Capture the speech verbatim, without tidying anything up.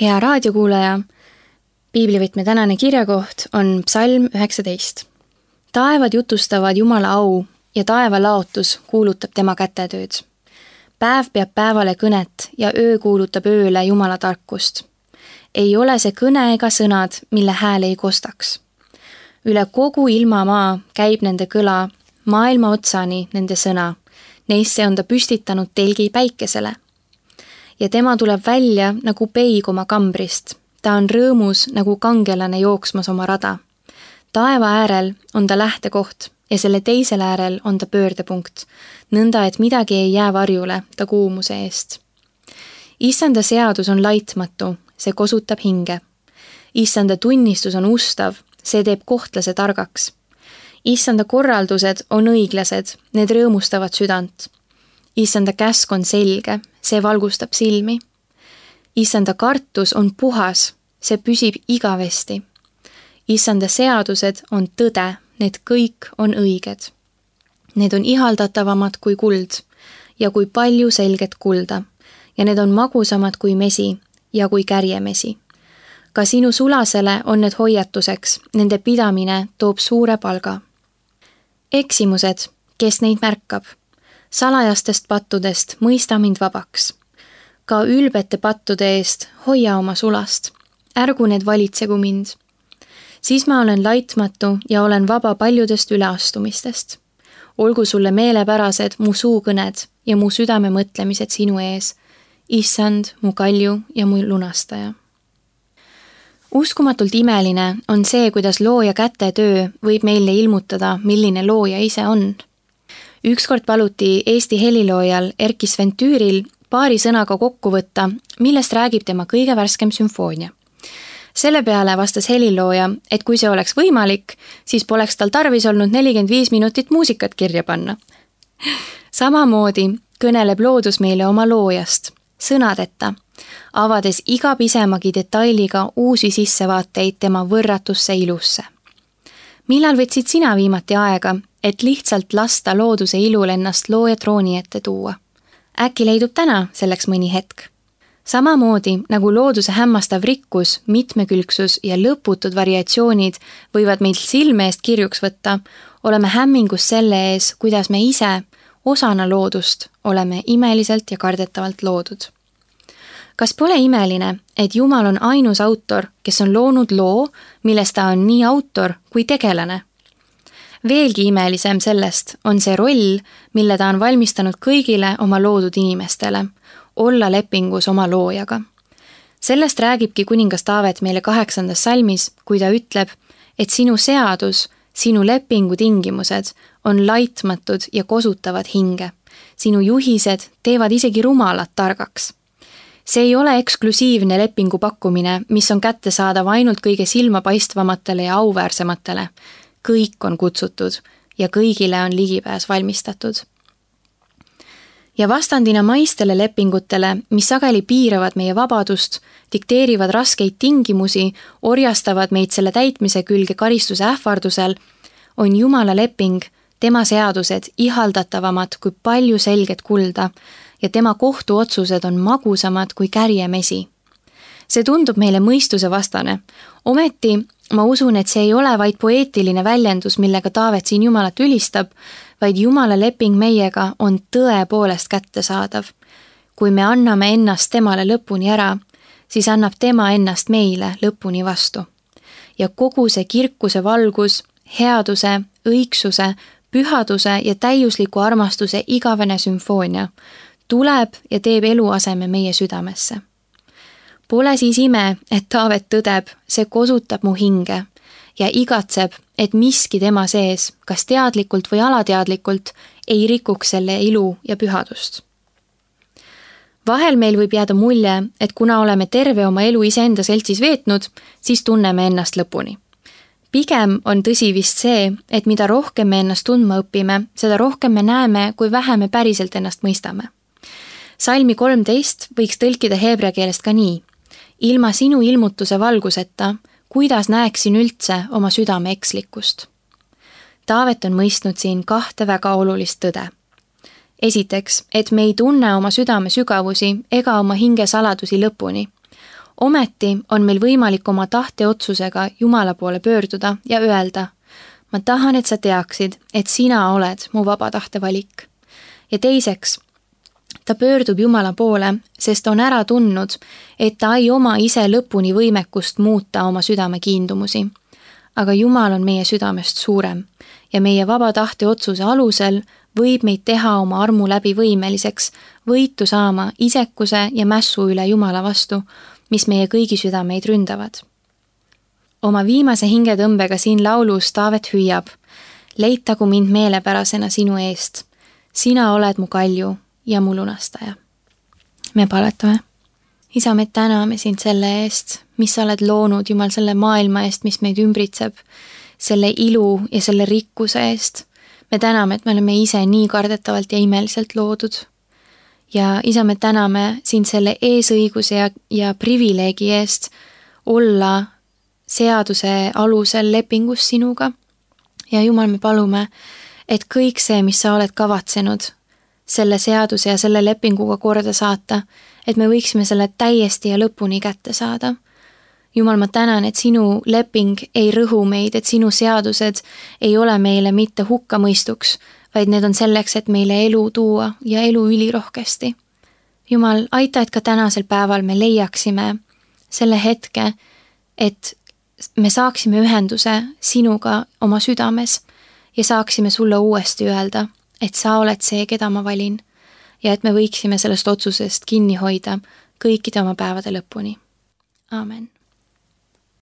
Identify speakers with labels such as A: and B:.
A: Hea raadiokuulaja, piiblivõtme tänane kirjakoht on psalm üheksateist. Taevad jutustavad Jumala au ja taeva laotus kuulutab tema kätetööd. Päev peab päevale kõnet ja öö kuulutab ööle Jumala tarkust. Ei ole see kõne ega sõnad, mille hääl ei kostaks. Üle kogu ilmamaa käib nende kõla, maailma otsani nende sõna. Neisse on ta püstitanud telgi päikesele. Ja tema tuleb välja nagu peig oma kambrist. Ta on rõõmus nagu kangelane jooksmas oma rada. Taeva äärel on ta lähtekoht ja selle teisel äärel on ta pöördepunkt, nõnda et midagi ei jää varjule ta kuumuse eest. Issanda seadus on laitmatu, see kosutab hinge. Issanda tunnistus on ustav, see teeb kohtlase targaks. Issanda korraldused on õiglased, need rõõmustavad südant. Issanda käsk on selge, see valgustab silmi. Issanda kartus on puhas, see püsib igavesti. Issanda seadused on tõde, need kõik on õiged. Need on ihaldatavamad kui kuld ja kui palju selget kulda ja need on magusamad kui mesi ja kui kärjemesi. Ka sinu sulasele on need hoiatuseks, nende pidamine toob suure palga. Eksimused, kes neid märkab? Salajastest pattudest mõista mind vabaks. Ka ülbete pattude eest hoia oma sulast. Ärgu need valitsegu mind. Siis ma olen laitmatu ja olen vaba paljudest üleastumistest. Olgu sulle meelepärased mu suukõned ja mu südame mõtlemised sinu ees. Issand, mu kalju ja mu lunastaja. Uskumatult imeline on see, kuidas looja kätetöö võib meile ilmutada, milline looja ise on. Ükskord paluti Eesti heliloojal Erkki Sven-Tüüril paari sõnaga kokku võtta, millest räägib tema kõige värskem sümfoonia. Selle peale vastas helilooja, et kui see oleks võimalik, siis poleks tal tarvis olnud nelikümmend viis minutit muusikat kirja panna. Samamoodi kõneleb loodus meile oma loojast, sõnadeta, avades iga pisemagi detailiga uusi sissevaateid tema võrratusse ilusse. Millal võtsid sina viimati aega, et lihtsalt lasta looduse ilul ennast looja trooni ette tuua? Äkki leidub täna selleks mõni hetk? Samamoodi nagu looduse hämmastav rikkus, mitmekülgsus ja lõputud variatsioonid võivad meilt silme eest kirjuks võtta, oleme hämmingus selle ees, kuidas me ise, osana loodust, oleme imeliselt ja kardetavalt loodud. Kas pole imeline, et Jumal on ainus autor, kes on loonud loo, milles ta on nii autor kui tegelane? Veelgi imelisem sellest on see roll, mille ta on valmistanud kõigile oma loodud inimestele, olla lepingus oma loojaga. Sellest räägibki kuningas Taavet meile kaheksandas salmis, kui ta ütleb, et sinu seadus, sinu lepingu tingimused on laitmatud ja kosutavad hinge. Sinu juhised teevad isegi rumalad targaks. See ei ole eksklusiivne lepingu pakkumine, mis on kättesaadav ainult kõige silmapaistvamatele ja auväärsematele. Kõik on kutsutud ja kõigile on ligipääs valmistatud. Ja vastandina maistele lepingutele, mis sageli piiravad meie vabadust, dikteerivad raskeid tingimusi, orjastavad meid selle täitmise külge karistuse ähvardusel, on Jumala leping, tema seadused ihaldatavamad kui palju selget kulda ja tema kohtuotsused on magusamad kui kärjemesi. See tundub meile mõistuse vastane. Ometi ma usun, et see ei ole vaid poeetiline väljendus, millega Taavet siin Jumalat ülistab, vaid Jumala leping meiega on tõepoolest kättesaadav. Kui me anname ennast temale lõpuni ära, siis annab tema ennast meile lõpuni vastu. Ja kogu see kirkuse valgus, headuse, õigsuse, pühaduse ja täiusliku armastuse igavene sümfoonia tuleb ja teeb eluaseme meie südamesse. Pole siis ime, et Taavet tõdeb, see kosutab mu hinge ja igatseb, et miski tema sees, kas teadlikult või alateadlikult, ei rikuks selle ilu ja pühadust. Vahel meil võib jääda mulje, et kuna oleme terve oma elu iseenda seltsis veetnud, siis tunneme ennast lõpuni. Pigem on tõsi vist see, et mida rohkem me ennast tundma õpime, seda rohkem me näeme, kui vähe me päriselt ennast mõistame. Salmi kolmteist võiks tõlkida heebrea keelest ka nii. Ilma sinu ilmutuse valguseta, kuidas näeksin üldse oma südame ekslikkust. Taavet on mõistnud siin kahte väga olulist tõde. Esiteks, et me ei tunne oma südame sügavusi ega oma hinge saladusi lõpuni. Ometi on meil võimalik oma tahteotsusega Jumala poole pöörduda ja öelda, ma tahan, et sa teaksid, et sina oled mu vaba tahte valik. Ja teiseks, ta pöördub Jumala poole, sest on ära tundnud, et ta ei oma ise lõpuni võimekust muuta oma südame kiindumusi. Aga Jumal on meie südamest suurem ja meie vaba tahte otsuse alusel võib meid teha oma armu läbi võimeliseks võitu saama isekuse ja mässu üle Jumala vastu, mis meie kõigi südameid ründavad. Oma viimase hingetõmbega siin laulus Taavet hüüab, leitagu mind meelepärasena sinu eest. Sina oled mu kalju ja mu lunastaja. Me paletame. Isa, me täname sind selle eest, mis sa oled loonud, Jumal, selle maailma eest, mis meid ümbritseb, selle ilu ja selle rikkuse eest. Me täname, et me oleme ise nii kardetavalt ja imeliselt loodud. Ja isa, me täname sind selle eesõiguse ja, ja privileegi eest olla seaduse alusel lepingus sinuga. Ja Jumal, me palume, et kõik see, mis sa oled kavatsenud, selle seaduse ja selle lepinguga korda saata, et me võiksime selle täiesti ja lõpuni kätte saada. Jumal, ma tänan, et sinu leping ei rõhu meid, et sinu seadused ei ole meile mitte hukkamõistuks, vaid need on selleks, et meile elu tuua ja elu ülirohkesti. Jumal, aita, et ka tänasel päeval me leiaksime selle hetke, et me saaksime ühenduse sinuga oma südames ja saaksime sulle uuesti öelda, et sa oled see, keda ma valin ja et me võiksime sellest otsusest kinni hoida kõikide oma päevade lõpuni. Aamen.